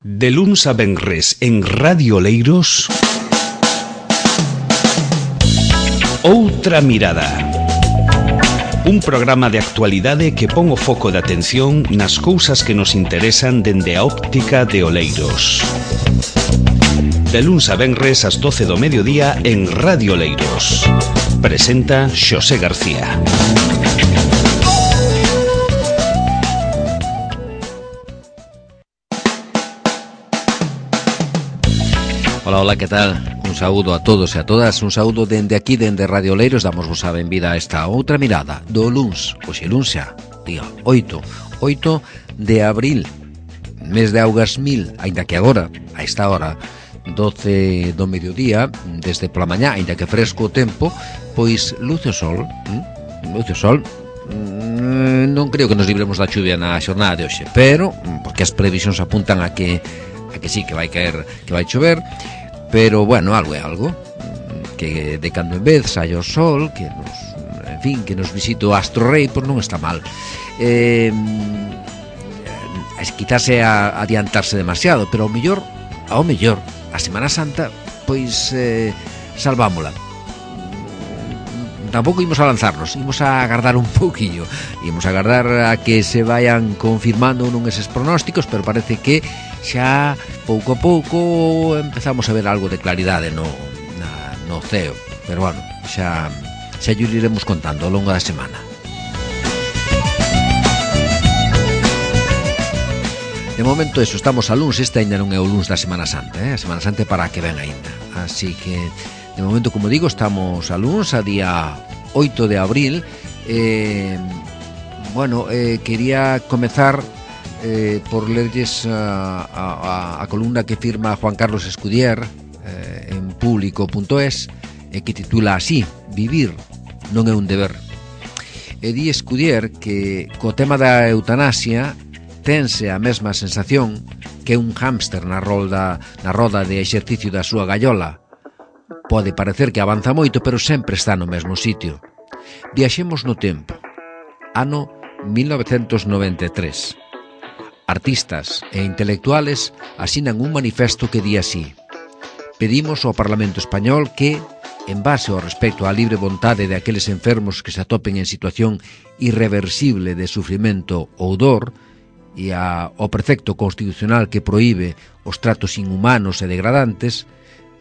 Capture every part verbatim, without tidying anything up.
De luns a venres en Radio Oleiros, Outra Mirada. Un programa de actualidade que pon o foco de atención nas cousas que nos interesan dende a óptica de Oleiros. De luns a venres ás doce do mediodía en Radio Oleiros. Presenta Xosé García. Ola, ola, que tal? Un saúdo a todos e a todas, un saúdo dende aquí, dende Radio Oleiros. Damos vos a benvida a esta outra mirada do luns, hoxe luns xa, día oito, oito de abril, mes de augas mil, aínda que agora, a esta hora, doce do mediodía, desde pola mañá, aínda que fresco o tempo, pois luce o sol, hm? luce o sol, mm, non creo que nos libremos da chuvia na xornada de hoxe, pero, porque as previsións apuntan a que a que sí, que vai caer, que vai chover, pero, bueno, algo é algo, que de cando en vez saia o sol, que nos, en fin, que nos visite o astro rei, pois non está mal. Eh, es quizás é a adiantarse demasiado, pero ao mellor, ao mellor, a Semana Santa, pois, eh, salvámola. Tampouco imos a lanzarnos, imos a agardar un pouquillo, imos a agardar a que se vayan confirmando non eses pronósticos, pero parece que xa pouco a pouco empezamos a ver algo de claridade no, na, no ceo, pero bueno, xa, xa llo iremos contando ao longo da semana. De momento eso, estamos a luns, este ainda non é o luns da Semana Santa, eh? A Semana Santa é para que ven aínda, así que de momento, como digo, estamos a luns, a día oito de abril. eh, bueno, eh, quería comezar eh, por lerlles a, a, a columna que firma Juan Carlos Escudier eh, en público punto es, eh, que titula así: Vivir non é un deber. E di Escudier que co tema da eutanasia tense a mesma sensación que un hámster na roda, na roda de exercicio da súa gallola. Pode parecer que avanza moito, pero sempre está no mesmo sitio. Viaxemos no tempo. Ano mil novecentos noventa e tres. Artistas e intelectuales asinan un manifesto que di así: pedimos ao Parlamento Español que, en base ao respecto á libre vontade de aqueles enfermos que se atopen en situación irreversible de sufrimento ou dor, e ao precepto constitucional que proíbe os tratos inhumanos e degradantes,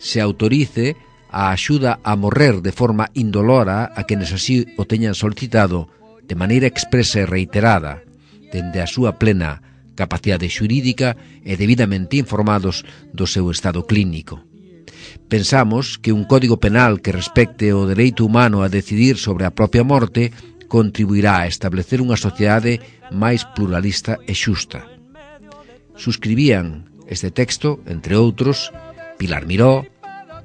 se autorice a axuda a morrer de forma indolora a quenes así o teñan solicitado de maneira expresa e reiterada, dende a súa plena capacidade xurídica e debidamente informados do seu estado clínico. Pensamos que un código penal que respecte o dereito humano a decidir sobre a propia morte contribuirá a establecer unha sociedade máis pluralista e xusta. Suscribían este texto, entre outros, Pilar Miró,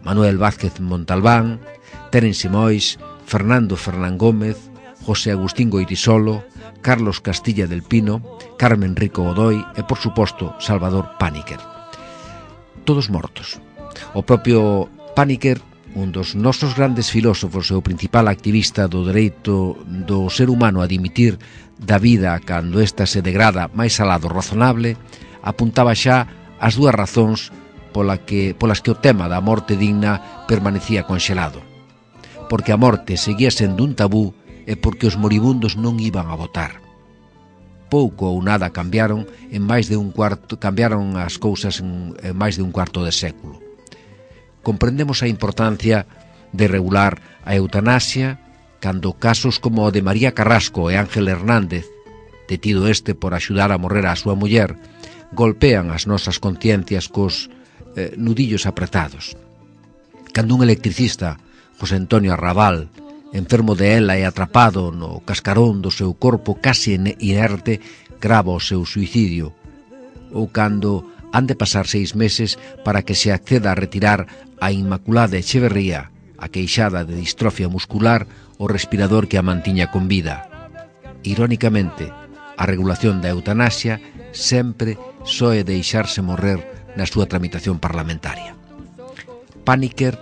Manuel Vázquez Montalbán, Terence Mois, Fernando Fernán Gómez, José Agustín Goytisolo, Carlos Castilla del Pino, Carmen Rico Godoy e, por suposto, Salvador Paniker. Todos mortos. O propio Paniker, un dos nosos grandes filósofos e o principal activista do dereito do ser humano a dimitir da vida cando esta se degrada máis alá do razonable, apuntaba xa as dúas razóns pola que, polas que o tema da morte digna permanecía conxelado. Porque a morte seguía sendo un tabú e porque os moribundos non iban a votar. Pouco ou nada cambiaron en máis de un cuarto, cambiaron as cousas en, en máis de un cuarto de século. Comprendemos a importancia de regular a eutanasia cando casos como o de María Carrasco e Ángel Hernández, detido este por axudar a morrer a súa muller, golpean as nosas conciencias cos eh, nudillos apretados. Cando un electricista, José Antonio Arrabal, enfermo de ela e atrapado no cascarón do seu corpo casi inerte, grava o seu suicidio, ou cando han de pasar seis meses para que se acceda a retirar a Inmaculada Echeverría, a queixada de distrofia muscular, o respirador que a mantiña con vida. Irónicamente, a regulación da eutanasia sempre soe deixarse morrer na súa tramitación parlamentaria. Paniker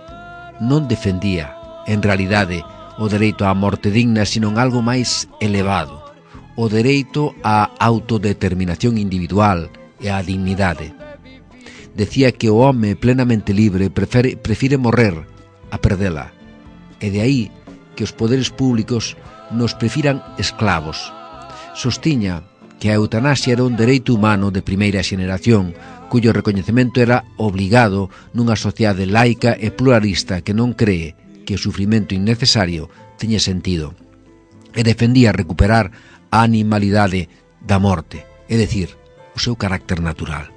non defendía, en realidade, o dereito á morte digna, sino algo máis elevado, o dereito á autodeterminación individual e á dignidade. decía que o home plenamente libre prefere, prefire morrer a perdela, e de aí que os poderes públicos nos prefiran esclavos. Sostiña que a eutanasia era un dereito humano de primeira xeneración, cuyo recoñecemento era obligado nunha sociedade laica e pluralista que non cree que o sufrimento innecesario teña sentido, e defendía recuperar a animalidade da morte, é dicir, o seu carácter natural.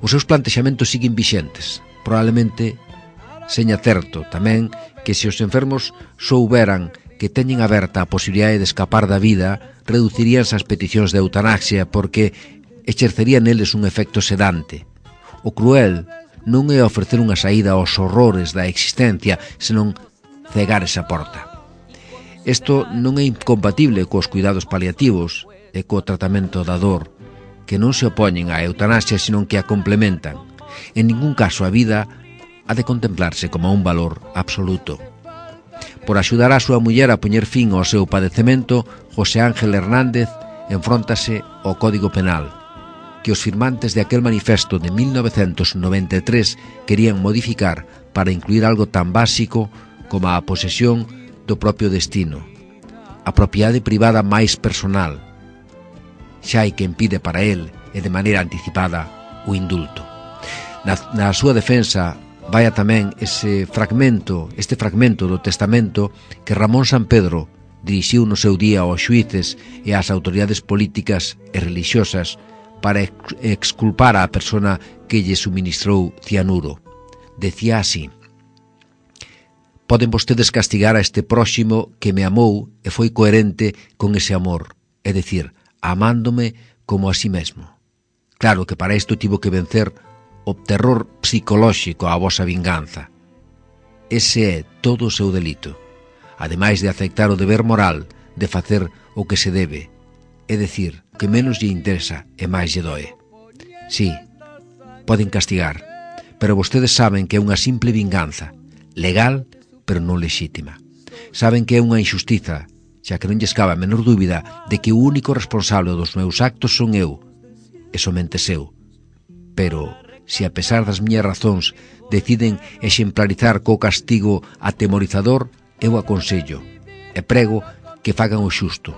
Os seus plantexamentos siguen vixentes, probablemente seña certo tamén que se os enfermos souberan que teñen aberta a posibilidade de escapar da vida, reduciríanse as peticións de eutanasia porque exercería neles un efecto sedante. O cruel non é ofrecer unha saída aos horrores da existencia, senón cegar esa porta. Isto non é incompatible cos cuidados paliativos e co tratamento da dor, que non se opoñen á eutanasia, senón que a complementan. En ningún caso a vida ha de contemplarse como un valor absoluto. Por axudar a súa muller a poñer fin ao seu padecemento, José Ángel Hernández enfróntase ao Código Penal, que os firmantes de aquel manifesto de mil novecentos noventa e tres querían modificar para incluir algo tan básico como a posesión do propio destino, a propiedade privada máis personal. Xa hai quen pide para el, e de maneira anticipada, o indulto. Na, na súa defensa vaya tamén ese fragmento, este fragmento do testamento que Ramón Sampedro dirixiu no seu día aos xuíces e ás autoridades políticas e religiosas para exculpar á persona que lle suministrou cianuro. Decía así: poden vostedes castigar a este próximo que me amou e foi coherente con ese amor, é dicir, amándome como a sí mesmo. Claro que para isto tivo que vencer o terror psicolóxico á vosa vinganza. Ese é todo o seu delito, ademais de aceptar o deber moral de facer o que se debe, é dicir, o que menos lle interesa e máis lle doe. Sí, poden castigar, pero vostedes saben que é unha simple vinganza, legal, pero non lexítima. Saben que é unha injustiza, xa que non lles cabe a menor dúbida de que o único responsable dos meus actos son eu, e somente eu. Pero se a pesar das miñas razóns deciden exemplarizar co castigo atemorizador, eu aconsello e prego que fagan o xusto.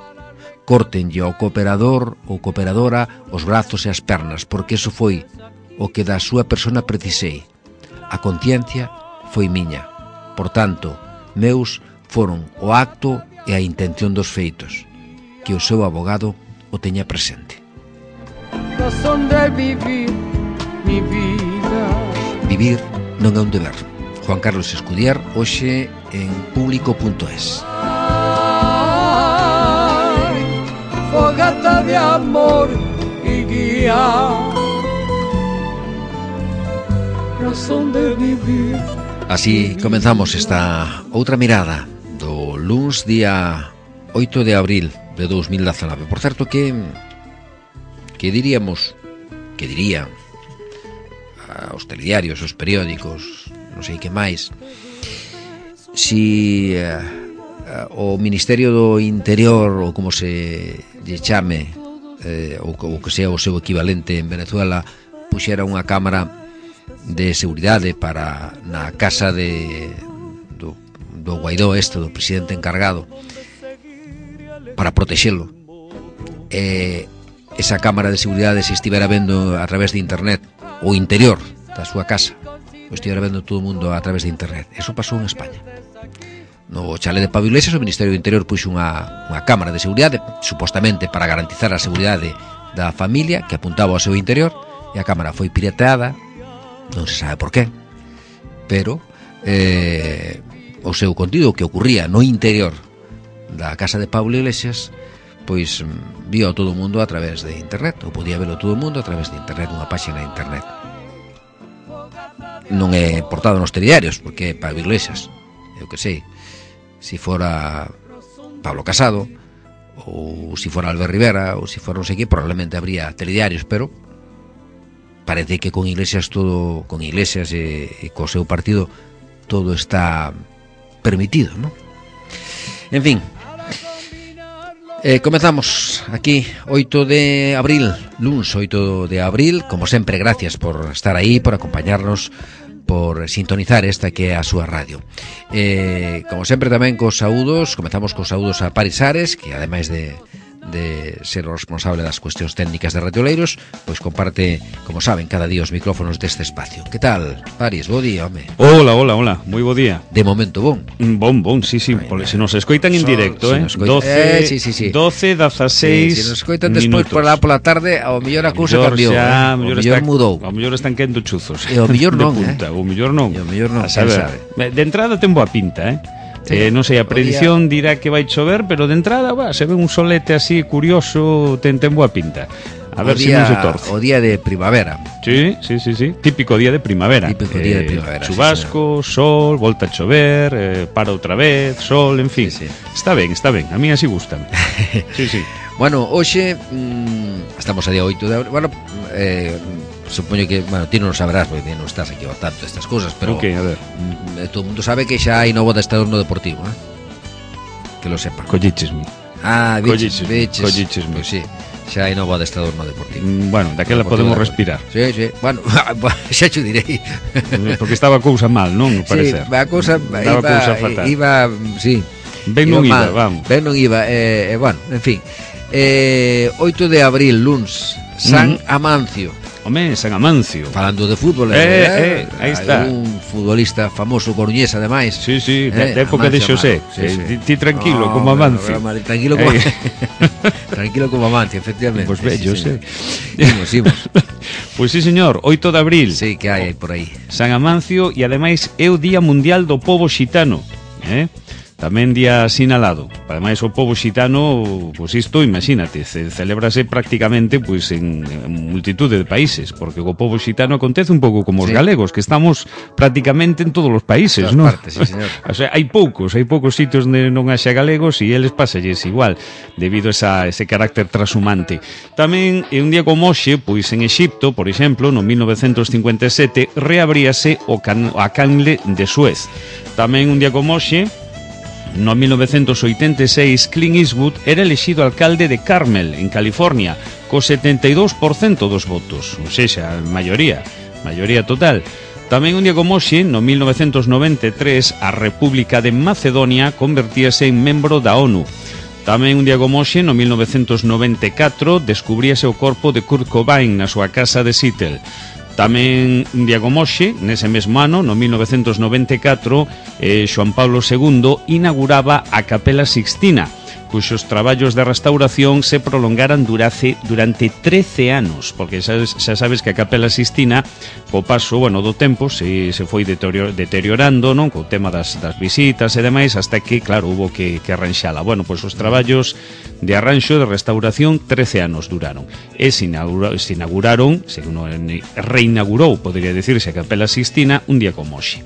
Córtenlle ao cooperador ou cooperadora os brazos e as pernas, porque eso foi o que da súa persona precisei. A conciencia foi miña. Por tanto, meus foron o acto e a intención dos feitos. Que o seu abogado o teña presente. Razón de vivir mi vida. Vivir non é un deber. Juan Carlos Escudier, hoxe en público punto es. Fogata de amor y guía. Razón de vivir. Así comenzamos esta outra mirada do luns día oito de abril de dos mil dezanove. Por certo que que diríamos, que dirían os telediarios, os periódicos, non sei que máis, si uh, uh, o Ministerio do Interior, ou como se lle chame, eh, ou, ou que sea o seu equivalente en Venezuela, puxera unha cámara de seguridade para na casa de do, do Guaidó, este, do presidente encargado, para protexelo. E esa cámara de seguridade se estivera vendo a través de internet o interior da súa casa, o estivera vendo todo o mundo a través de internet. Eso pasou en España. No chale de Pablo Iglesias, o Ministerio do Interior puxo unha, unha cámara de seguridade, supostamente para garantizar a seguridade da familia, que apuntaba ao seu interior, e a cámara foi pirateada, non se sabe por qué, pero eh, o seu contido, que ocurría no interior da casa de Pablo Iglesias, pois vio a todo o mundo a través de internet, ou podía verlo todo o mundo a través de internet, unha páxina de internet. Non é portado nos telediarios, porque é Pablo Iglesias, eu que sei, se fora Pablo Casado, ou se fora Albert Rivera, ou se fora non sei que, probablemente habría telediarios, pero parece que con Iglesias todo, con Iglesias e, e co seu partido todo está permitido, non? En fin, Eh, comezamos aquí oito de abril, luns oito de abril. Como sempre, gracias por estar aí, por acompañarnos, por sintonizar esta que é a súa radio. Eh, como sempre tamén cos saúdos, comezamos cos saúdos a Paris Ares, que ademais de de ser o responsable das cuestións técnicas de Radio Oleiros, pois comparte, como saben, cada día os micrófonos deste espacio. Que tal, Paris? Bo día, home. Hola, hola, hola, moi bo día. De momento bon. Bon, bon, sí, sí, pole, se nos escoitan en directo, eh. doce, eh, sí, sí, sí. doce, dezaseis. Sí, se nos escoitan despois por lá pola tarde, ao mellor a cousa cambiou, xa, eh. O mellor mudou. Ao mellor están quendo chuzos. E ao mellor non, punta, eh. O mellor non. E ao mellor non, a saber. De entrada ten boa pinta, eh. Sí, eh, non sei, a predición día... dirá que vai chover, pero de entrada, va, se ve un solete así curioso, ten, ten boa pinta. A ver se si non se torce. O día de primavera. Sí, sí, sí, sí. Típico día de primavera. Típico eh, día de primavera. Chubasco, sí, sol, volta a chover, eh, para outra vez, sol, en fin. Sí, sí. Está ben, está ben. A mí así gustan. Sí, sí. Bueno, hoxe mmm, estamos a día oito de abril. Bueno, eh, supoño que, bueno, ti non o sabrás porque non estás aquí ao tanto estas cousas, pero okay, a ver. Mm, todo o mundo sabe que xa hai novo adestrador no Deportivo, eh? Que lo sepa. Collichesme. Ah, biches, biches. Collichesme. Pois pues sí, xa hai novo adestrador no Deportivo. Mm, bueno, daquela podemos respirar. Sí, sí. Bueno, xa te direi. Porque estaba a cousa mal, non? Parecer. Sí, a cousa iba, cousa fatal. Iba, sí. Ben non iba, vamos. Ben non iba, eh, eh, bueno, en fin. Eh, oito de abril, luns, San mm. Amancio. Home, San Amancio. Falando de fútbol, eh, eh, eh, aí está. Un futbolista famoso coruñés, ademais. Sí, sí, eh, de época de Xosé. Sí, sí. Eh, ti tranquilo, oh, como Amancio. Bueno, tranquilo como eh. Tranquilo como Amancio, efectivamente. Pois pues bello, sí. Imos, imos. Pois pues sí, señor, oito de abril. Sí, que hai por aí. San Amancio e ademais é o Día Mundial do Pobo Xitano, eh? Tamén día sinalado. Ademais o pobo xitano, pois isto, imagínate, ce, celebrase prácticamente pois en, en multitude de países, porque o pobo xitano acontece un pouco como os sí. galegos, que estamos prácticamente en todos os países, non? Partes, sí, señor. O sea, hai poucos, hai poucos sitios onde non haxa galegos e eles pasalles igual, debido a esa, ese carácter transhumante. Tamén, en un día como hoxe, pois en Exipto, por exemplo, no mil novecentos cincuenta e sete, reabríase o, can, a canle de Suez. Tamén un día como hoxe, no mil novecentos oitenta e seis, Clint Eastwood era elexido alcalde de Carmel, en California, co setenta e dous por cento dos votos, ou seja, a maioría, maioría total. Tamén un día como hoxe, no mil novecentos noventa e tres, a República de Macedonia convertíase en membro da ONU. Tamén un día como hoxe, no mil novecentos noventa e catro, descubríase o corpo de Kurt Cobain na súa casa de Seattle. Tamén un día como hoxe, nese mesmo ano, no mil novecentos noventa e catro, eh, Xoán Pablo segundo inauguraba a Capela Sixtina, cuxos traballos de restauración se prolongaran durante, durante trece anos, porque xa, xa sabes que a Capela Sixtina, co paso, bueno, do tempo, se, se foi deteriorando, non? Co tema das, das visitas e demais, hasta que, claro, hubo que, que arranxala. Bueno, pois os traballos de arranxo de restauración trece anos duraron. E se, inaugura, se inauguraron, se reinaugurou, podría decirse, a Capela Sixtina un día como hoxe.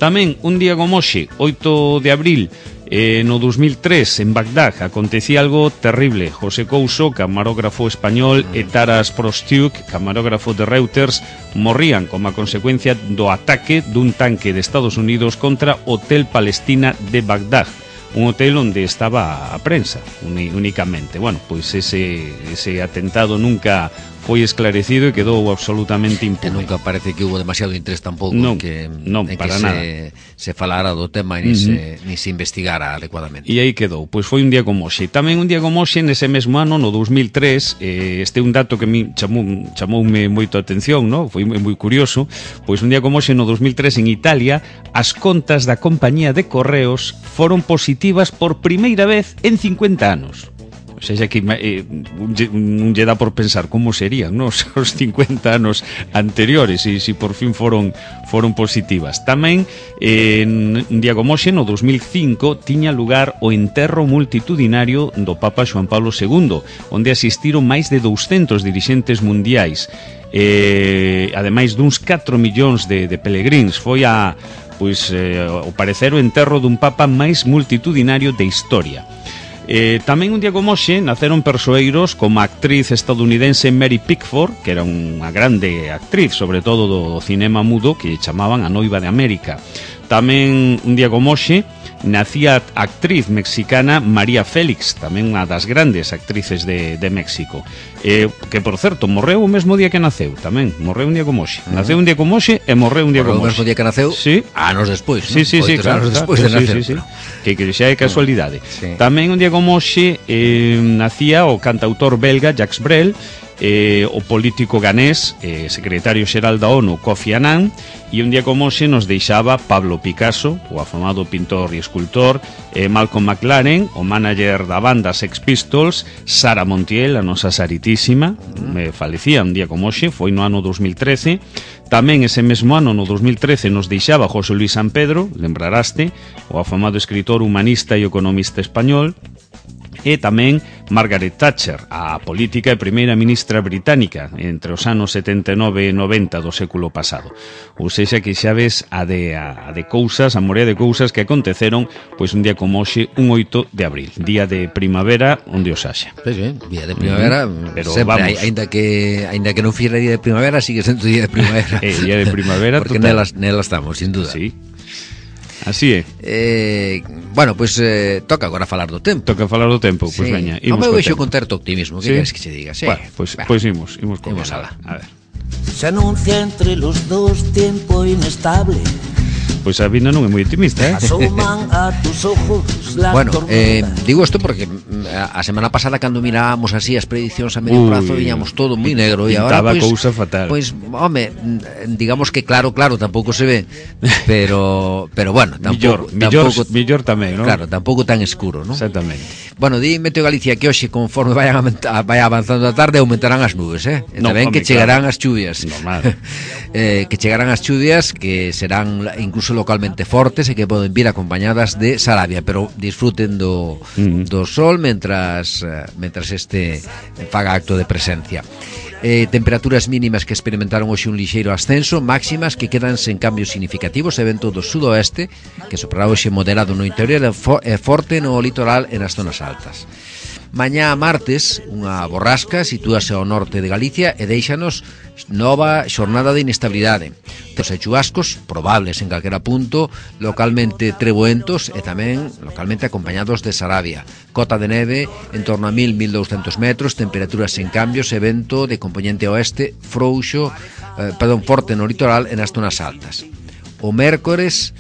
Tamén un día como hoxe, oito de abril, Eh, no dos mil tres, en Bagdad, acontecía algo terrible. José Couso, camarógrafo español, e Taras Prostiuk, camarógrafo de Reuters, morrían como a consecuencia do ataque dun tanque de Estados Unidos contra Hotel Palestina de Bagdad, un hotel onde estaba a prensa únicamente. Bueno, pois ese, ese atentado nunca foi esclarecido e quedou absolutamente impune. E nunca parece que hubo demasiado interés tampouco non, que, non, en para que nada. se, se falara do tema e ni, uh-huh. se, ni se investigara adecuadamente. E aí quedou, pois foi un día como hoxe. Tamén un día como hoxe, nese mesmo ano, no dos mil tres, eh, este é un dato que mi chamou, chamoume moito a atención, no? Foi moi curioso, pois un día como hoxe, no dos mil tres, en Italia, as contas da compañía de correos foron positivas por primeira vez en cincuenta anos. O sea, que eh, un lle dá por pensar como serían, ¿no? Os cincuenta anos anteriores e se si por fin foron foron positivas. Tamén eh, un día como hoxe, no dos mil cinco, tiña lugar o enterro multitudinario do Papa Xoán Pablo segundo, onde asistiron máis de douscentos dirixentes mundiais, eh, ademais duns catro millóns de, de pelegríns. Foi a, pois, eh, ao parecer o enterro dun Papa máis multitudinario de historia. Eh, tamén un día como hoxe naceron persoeiros como a actriz estadounidense Mary Pickford, que era unha grande actriz, sobre todo do cinema mudo, que chamaban a Noiva de América. Tamén un día como hoxe nacía a actriz mexicana María Félix, tamén unha das grandes actrices de, de México, eh, que por certo morreu o mesmo día que naceu, tamén morreu un día como hoxe, uh-huh. naceu un día como hoxe e morreu un día morreu como hoxe. O mesmo día que naceu, sí. anos despois, sí, sí, sí, claro, anos despois claro, de nacer, sí, sí, sí. Que, que xa é casualidade. Sí. Tamén un día como hoxe eh, nacía o cantautor belga Jacques Brel, eh, o político ganés, eh, secretario xeral da ONU Kofi Annan, e un día como hoxe nos deixaba Pablo Picasso, o afamado pintor e escultor, eh, Malcolm McLaren, o manager da banda Sex Pistols, Sara Montiel, a nosa Saritísima, me falecía un día como hoxe, foi no ano dos mil trece. Tamén ese mesmo ano, no dos mil trece, nos deixaba José Luis San Pedro, lembraraste, o afamado escritor humanista e economista español, e tamén Margaret Thatcher, a política e primeira ministra británica entre os anos setenta e nove e noventa do século pasado. Ou seja, que xa ves a de, a, a de cousas, a morea de cousas que aconteceron pois un día como hoxe, un oito de abril, día de primavera onde os haxa. Sí, sí, día de primavera, mm, pero sempre, vamos, ainda que ainda que non fiera día de primavera, sigue sendo día de primavera. eh, día de primavera porque nelas, nelas estamos, sin duda. Sí. Así é. Eh, bueno, pois pues, eh, toca agora falar do tempo. Toca falar do tempo, pois pues, sí. veña, imos. Home, vexo con certo optimismo, que sí? queres que se diga? Sí. Bueno, pois pues, pues imos, imos con ela. A ver. Se anuncia entre los dos tiempo inestable. Pois a vida non é moi optimista, eh? Asoman a tus ojos la bueno, eh, digo isto porque a semana pasada cando mirábamos así as prediccións a medio Uy, prazo viñamos todo moi negro e agora pois cousa fatal. Pois, home, digamos que claro, claro, tampouco se ve, pero pero bueno, tampouco millor, tampouco, millor tamén, ¿no? Claro, tampouco tan escuro, ¿no? Exactamente. Bueno, di Meteo Galicia que hoxe conforme vayan a, vaya avanzando a tarde aumentarán as nubes, eh? E no, tamén home, que chegarán claro. as chuvias. Normal. eh, que chegarán as chuvias que serán incluso localmente fortes e que poden vir acompañadas de Sarabia, pero disfruten do, uh-huh. do sol mentras mentras este faga acto de presencia. Eh, temperaturas mínimas que experimentaron hoxe un lixeiro ascenso, máximas que quedan sen cambios significativos e vento do sudoeste que soprará hoxe moderado no interior e fo- forte no litoral e nas zonas altas. Mañá martes, unha borrasca sitúase ao norte de Galicia e deixanos nova xornada de inestabilidade. Os chubascos probables en calquera punto, localmente treboentos e tamén localmente acompañados de Sarabia. Cota de neve en torno a mil a mil douscentos metros, temperaturas sen cambios e vento de componente oeste frouxo, eh, perdón, forte no litoral e nas zonas altas. O mércores...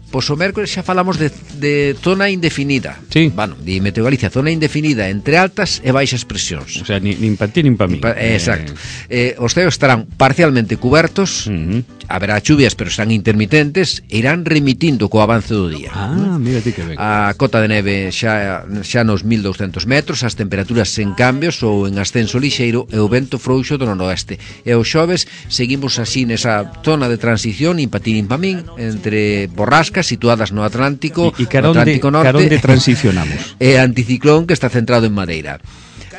Pois o mércores xa falamos de, de zona indefinida. Sí. Bueno, di Meteo Galicia, zona indefinida entre altas e baixas presións. O sea, ni, nin pa ti nin pa mí. Pa, eh, exacto. Eh, os ceos estarán parcialmente cubertos, uh-huh. haberá chuvias, pero serán intermitentes, e irán remitindo co avance do día. Ah, mira ti que ben. A cota de neve xa, xa nos mil douscentos metros, as temperaturas sen cambios ou en ascenso lixeiro e o vento frouxo do noroeste. E os xoves seguimos así nesa zona de transición, nin pa ti nin pa min, entre borrascas situadas no Atlántico, e, e no Atlántico Norte, caronde transicionamos. E anticiclón que está centrado en Madeira.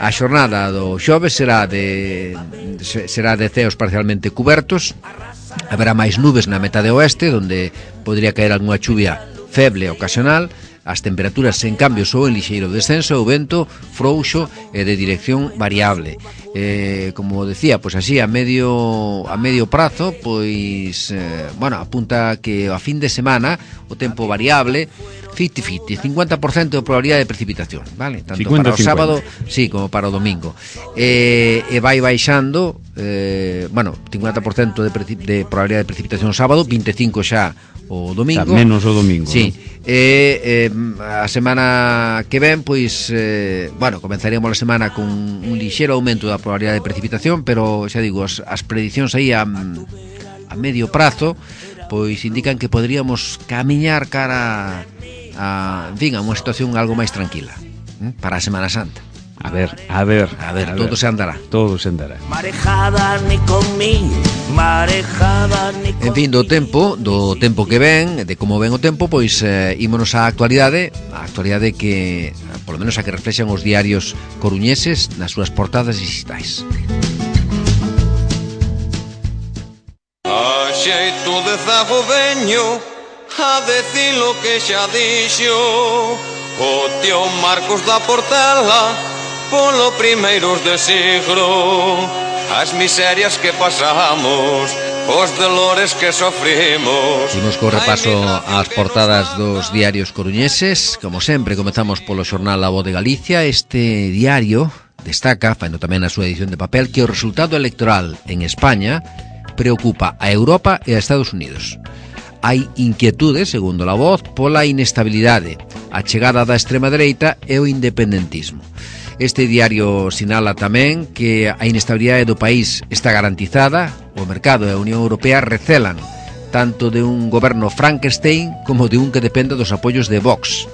A xornada do xoves será de será de ceos parcialmente cubertos. Haberá máis nubes na metade oeste, onde podría caer algunha chuvia feble ocasional. As temperaturas sen cambios ou en lixeiro descenso, o vento frouxo e de dirección variable. Eh, como decía, pois así a medio a medio prazo, pois eh, bueno, apunta que a fin de semana o tempo variable cincuenta cincuenta, cincuenta por ciento de probabilidade de precipitación, vale? Tanto cincuenta, para o sábado, sí, como para o domingo. Eh, e vai baixando, eh, bueno, cincuenta por ciento de, de probabilidade de precipitación o sábado, vinte e cinco xa o domingo. O sea, menos o domingo. Sí. ¿No? E eh, a semana que ven, pois, eh, bueno, comenzaríamos a semana con un lixeiro aumento da probabilidade de precipitación, pero xa digo, as, as predicións aí a, a medio prazo, pois indican que poderíamos camiñar cara a, en fin, a unha situación algo máis tranquila, ¿eh? Para a Semana Santa. A ver, a ver, a ver, a todo ver. se andará. Todo se andará. Marejada ni con mí, marejada ni con En fin, do tempo, do tempo que ven, de como ven o tempo, pois eh, ímonos á actualidade, a actualidade que, polo menos a que reflexan os diarios coruñeses nas súas portadas digitais. A xeito de zago veño a decir lo que xa dixo o tío Marcos da Portela polo primeiros de siglo. As miserias que pasamos os dolores que sofrimos. Imos co repaso ás portadas dos diarios coruñeses. Como sempre, comezamos polo xornal A Voz de Galicia. Este diario destaca, faino tamén na súa edición de papel, que o resultado electoral en España preocupa a Europa e a Estados Unidos. Hai inquietude, segundo La Voz, pola inestabilidade, a chegada da extrema dereita e o independentismo. Este diario sinala tamén que a inestabilidade do país está garantizada. O mercado e a Unión Europea recelan tanto de un goberno Frankenstein como de un que dependa dos apoios de Vox.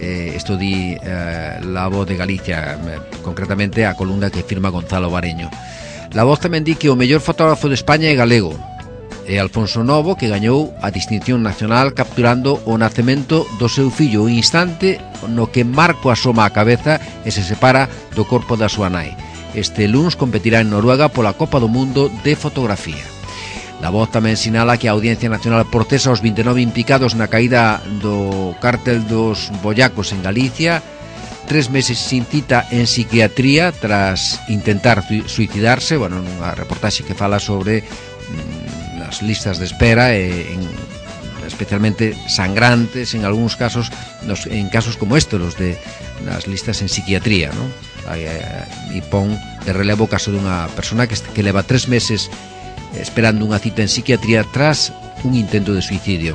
Eh, isto di eh, La Voz de Galicia, eh, concretamente a columna que firma Gonzalo Bareño. La Voz tamén di que o mellor fotógrafo de España é galego, é Alfonso Novo, que gañou a distinción nacional capturando o nacemento do seu fillo, o instante no que Marco asoma a cabeza e se separa do corpo da súa nai. Este luns competirá en Noruega pola Copa do Mundo de Fotografía. La Voz tamén sinala que a Audiencia Nacional procesa os vinte e nove implicados na caída do cártel dos boyacos en Galicia, tres meses sin cita en psiquiatría tras intentar suicidarse. Bueno, nunha reportaxe que fala sobre mm, as listas de espera e en, especialmente sangrantes en algúns casos, nos, en casos como este, los de las listas en psiquiatría, ¿no? E pon de relevo o caso dunha persona que, que leva tres meses esperando unha cita en psiquiatría tras un intento de suicidio.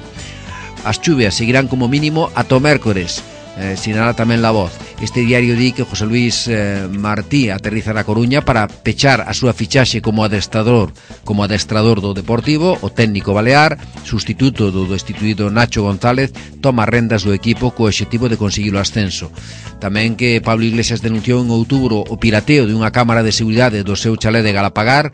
As chuvias seguirán como mínimo ata o mércores, eh, sinala tamén La Voz. Este diario di que José Luis eh, Martí aterriza na Coruña para pechar a súa fichaxe como adestrador como adestrador do Deportivo. O técnico balear, sustituto do destituído Nacho González, toma rendas do equipo co obxectivo de conseguir o ascenso. Tamén que Pablo Iglesias denunciou en outubro o pirateo de unha cámara de seguridade do seu chalé de Galapagar.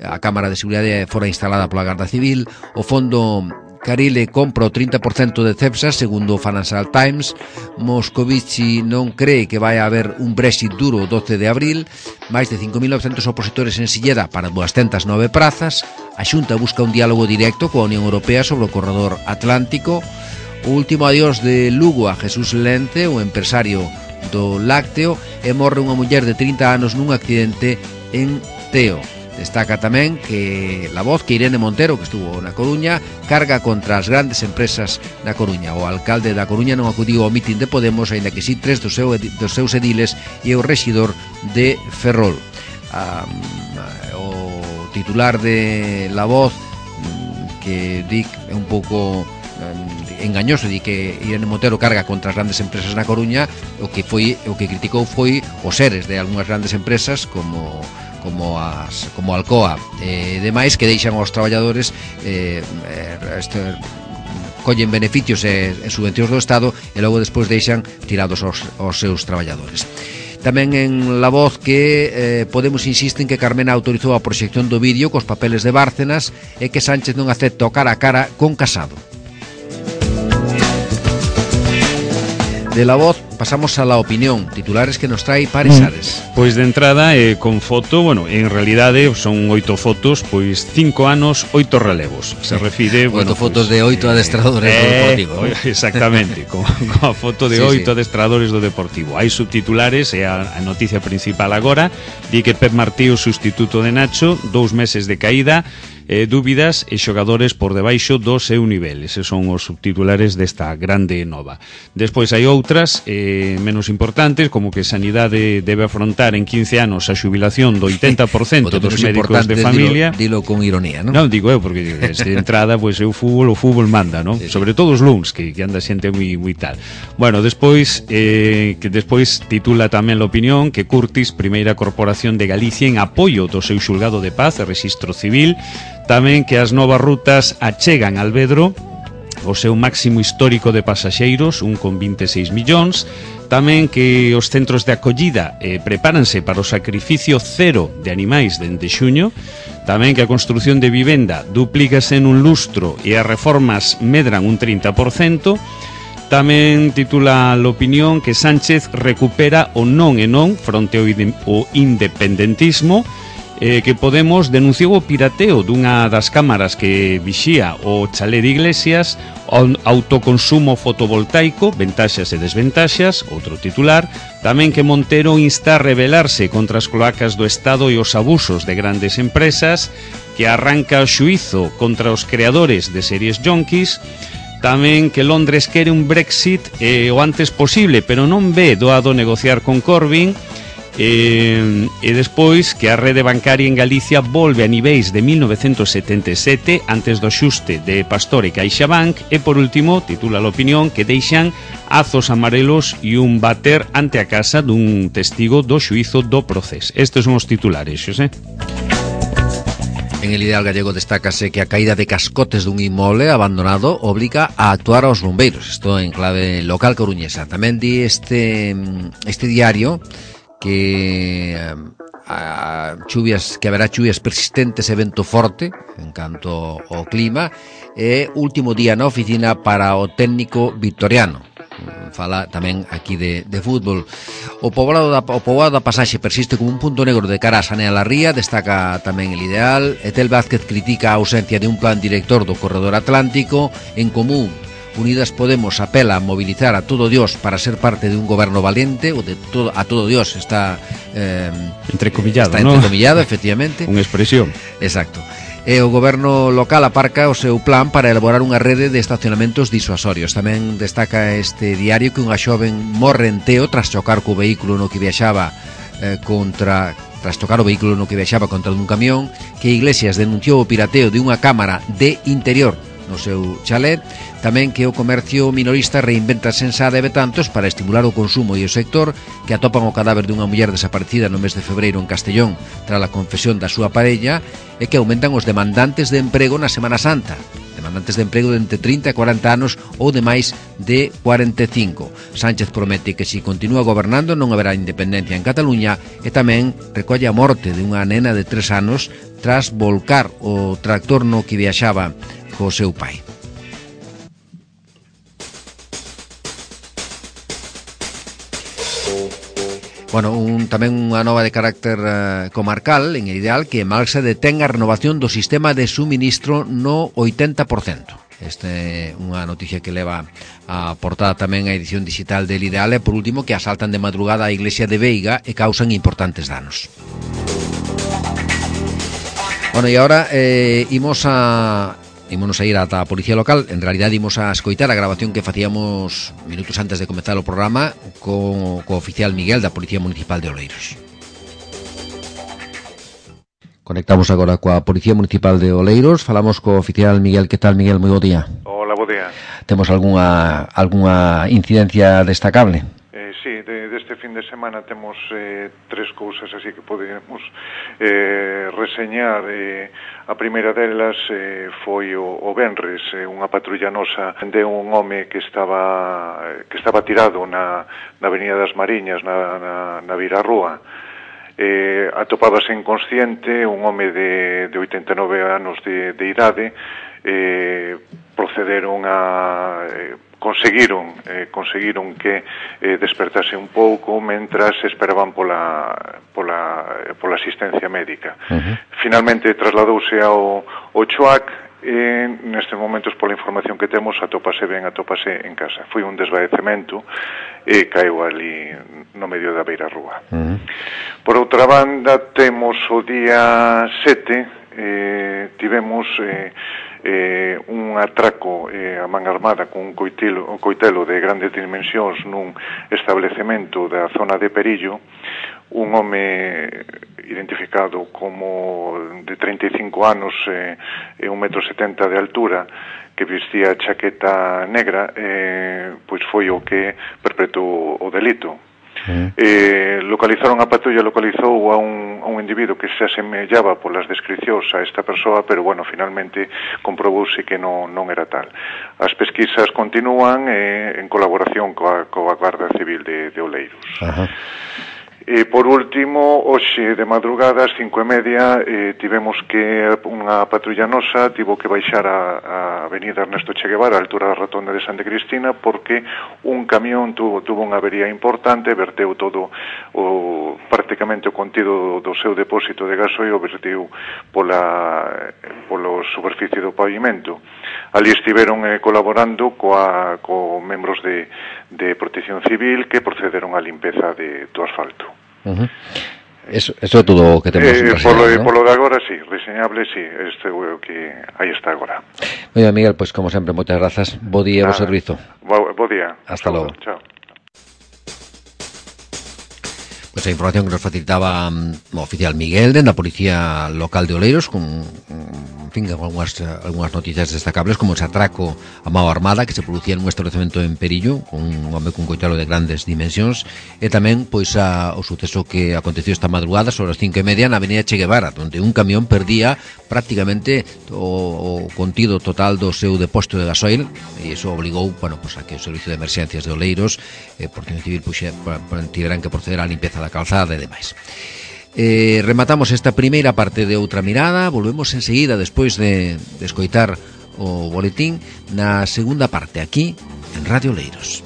A cámara de seguridade fora instalada pola Garda Civil. O fondo Carile compra o trinta por cento de Cepsa, segundo o Financial Times. Moscovici non cree que vai haber un Brexit duro o doce de abril. Máis de cinco mil novecentos opositores en Silleda para duascentas nove prazas. A Xunta busca un diálogo directo coa Unión Europea sobre o corredor atlántico. O último adiós de Lugo a Jesús Lente, o empresario do lácteo, e morre unha muller de trinta anos nun accidente en Teo. Destaca tamén que La Voz que Irene Montero, que estuvo na Coruña, carga contra as grandes empresas da Coruña. O alcalde da Coruña non acudiu ao mitin de Podemos, aínda que si tres dos, seu, dos seus ediles e o rexidor de Ferrol. Um, o titular de La Voz, que di é un pouco um, engañoso, di que Irene Montero carga contra as grandes empresas na Coruña. O que foi o que criticou foi os seres de algunhas grandes empresas como como as como Alcoa e eh, demais, que deixan aos traballadores eh, este, collen beneficios e, e subvencións do Estado e logo despois deixan tirados aos, aos seus traballadores. Tamén en La Voz que eh, Podemos insiste en que Carmena autorizou a proxección do vídeo cos papeles de Bárcenas e que Sánchez non acepta o cara a cara con Casado. De La Voz pasamos a La Opinión, titulares que nos trae Paris Ares. Pois de entrada, eh, con foto, bueno, en realidade son oito fotos, pois cinco anos, oito relevos. Se refire, bueno, oito fotos pues, de oito eh, adestradores eh, do Deportivo. Eh, exactamente, con, con a foto de sí, oito sí. adestradores do Deportivo. Hai subtitulares, e a, a noticia principal agora, di que Pep Martí, o sustituto de Nacho, dous meses de caída, eh, dúbidas e xogadores por debaixo do seu nivel. Eses son os subtitulares desta grande nova. Despois hai outras eh, menos importantes, como que Sanidade debe afrontar en quince anos a xubilación do oitenta por cento dos médicos de familia. Dilo, dilo con ironía, non? Non, digo eu, porque de entrada, pois pues, o fútbol, o fútbol manda, non? Sí, sí. Sobre todo os luns, que, que anda xente moi, moi tal. Bueno, despois, eh, que despois titula tamén La Opinión que Curtis, primeira corporación de Galicia en apoio do seu xulgado de paz e rexistro civil. Tamén que as novas rutas achegan al Vedro o seu máximo histórico de pasaxeiros, un con vinte e seis millóns. Tamén que os centros de acollida eh, prepáranse para o sacrificio cero de animais dende xuño. Tamén que a construción de vivenda duplícase en un lustro e as reformas medran un trinta por cento. Tamén titula La Opinión que Sánchez recupera o non e non fronte ao independentismo. Eh, que Podemos denunciou o pirateo dunha das cámaras que vixía o chalé de Iglesias. autoconsumo fotovoltaico, ventaxas e desventaxas, outro titular. Tamén que Montero insta a rebelarse contra as cloacas do Estado e os abusos de grandes empresas, que arranca o xuízo contra os creadores de series yonkis. Tamén que Londres quere un Brexit eh, o antes posible, pero non ve doado negociar con Corbyn. E, e despois que a rede bancaria en Galicia volve a niveis de mil novecentos setenta e sete antes do xuste de Pastor e CaixaBank. E por último, titula a Opinión, que deixan azos amarelos e un bater ante a casa dun testigo do xuízo do Procés. Estes son os titulares, Xosé. En El Ideal Gallego destácase que a caída de cascotes dun inmoble abandonado obliga a actuar aos bombeiros. Isto en clave local coruñesa. Tamén di este, este diario que a chuvias, que haberá chuvias persistentes e vento forte en canto ao clima, e último día na oficina para o técnico vitoriano. Fala tamén aquí de, de fútbol. O poboado da, o poboado da Pasaxe persiste como un punto negro de cara a Sanea la Ría, destaca tamén El Ideal. Etel Vázquez critica a ausencia de un plan director do corredor atlántico. En Común, Unidas Podemos apela a movilizar a todo Dios para ser parte de un goberno valiente, o de todo, a todo Dios está eh, entrecomillado, está ¿no? entrecomillado, efectivamente. Unha expresión. Exacto. E o goberno local aparca o seu plan para elaborar unha rede de estacionamentos disuasorios. Tamén destaca este diario que unha xoven morre en Teo tras chocar co vehículo no que viaxaba eh, contra tras chocar o vehículo no que viaxaba contra un camión, que Iglesias denunciou o pirateo de unha cámara de interior no seu chalet. Tamén que o comercio minorista reinventa Sensade e Betantos para estimular o consumo e o sector, que atopan o cadáver dunha muller desaparecida no mes de febreiro en Castellón tras a confesión da súa parella, e que aumentan os demandantes de emprego na Semana Santa, demandantes de emprego de entre trinta e cuarenta anos ou de máis de cuarenta e cinco. Sánchez promete que se continúa gobernando non haberá independencia en Cataluña, e tamén recolle a morte de unha nena de tres anos tras volcar o tractor no que viaxaba co seu pai. Bueno, un, tamén unha nova de carácter uh, comarcal en El Ideal, que Malxa detén a renovación do sistema de suministro no oitenta por cento. Esta é unha noticia que leva a portada tamén a edición digital del Ideal. E por último, que asaltan de madrugada a iglesia de Veiga e causan importantes danos. Bueno, e agora eh, imos a... Ímonos a ir ata a Policía Local. En realidad imos a escoitar a grabación que facíamos minutos antes de comezar o programa co, co oficial Miguel da Policía Municipal de Oleiros. Conectamos agora coa Policía Municipal de Oleiros. Falamos co oficial Miguel. Que tal, Miguel? Moi bo día. Hola, bo día. Temos algunha, algunha incidencia destacable? Eh, sí, de, deste fin de semana temos eh, tres cousas así que podemos eh, reseñar. Eh, a primeira delas eh, foi o, o venres, eh, unha patrulla nosa de un home que estaba que estaba tirado na, na Avenida das Mariñas, na, na, na Virarrúa. Eh, atopábase inconsciente, un home de, de oitenta e nove anos de, de idade. Eh, procederon a... Eh, conseguiron eh, conseguiron que eh, despertase un pouco mentras esperaban pola pola pola asistencia médica. Uh-huh. Finalmente trasladouse ao ao Choac e nestes momentos, pola información que temos, atópase ben, atópase en casa. Foi un desvaecemento e caeu ali no medio da beirarrúa. Uh-huh. Por outra banda, temos o día sete, eh, tivemos eh, Eh, un atraco eh, a man armada con un coitelo, un coitelo de grandes dimensións nun establecemento da zona de Perillo. Un home identificado como de treinta e cinco anos e eh, un metro setenta de altura, que vestía chaqueta negra, eh, pois foi o que perpetuou o delito. Uh-huh. Eh, localizaron a patrulla, localizou a un, a un individuo que se asemellaba polas descricións a esta persoa, pero bueno, finalmente comprobouse que non, non era tal. As pesquisas continúan eh, en colaboración coa, coa Garda Civil de, de Oleiros. Uh-huh. E por último, hoxe de madrugada, ás cinco e media, eh, tivemos que unha patrulla nosa tivo que baixar a, a avenida Ernesto Che Guevara, a altura da rotonda de Santa Cristina, porque un camión tuvo, tuvo unha avería importante, verteu todo o prácticamente o contido do seu depósito de gasoil, verteu pola polo superficie do pavimento. Ali estiveron eh, colaborando coa, co membros de, de Protección Civil que procederon á limpeza de, do asfalto. Uh-huh. Eso, eso é todo o que temos eh, reseñado, polo, ¿no? Polo de agora, sí, reseñable, sí, este é o que aí está agora. Moi ben, Miguel, pois como sempre, moitas grazas. Bo día, bo servizo. Bo, bo día. Hasta logo. Chao. Pois a información que nos facilitaba um, o oficial Miguel dende a Policía Local de Oleiros con, en fin, algunhas, algunhas noticias destacables como ese atraco a mao armada que se producía nun establecemento en Perillo con un home cun coitalo de grandes dimensións e tamén pois a, o suceso que aconteceu esta madrugada sobre as cinco e media na avenida Che Guevara, onde un camión perdía prácticamente o, o contido total do seu depósito de gasoil e iso obligou, bueno, pois a que o Servicio de Emerxencias de Oleiros e eh, Protección Civil puxe, tiveran que proceder á limpeza da calzada e demais. Eh, rematamos esta primeira parte de Outra Mirada, volvemos enseguida despois de, de escoitar o boletín na segunda parte aquí en Radio Oleiros.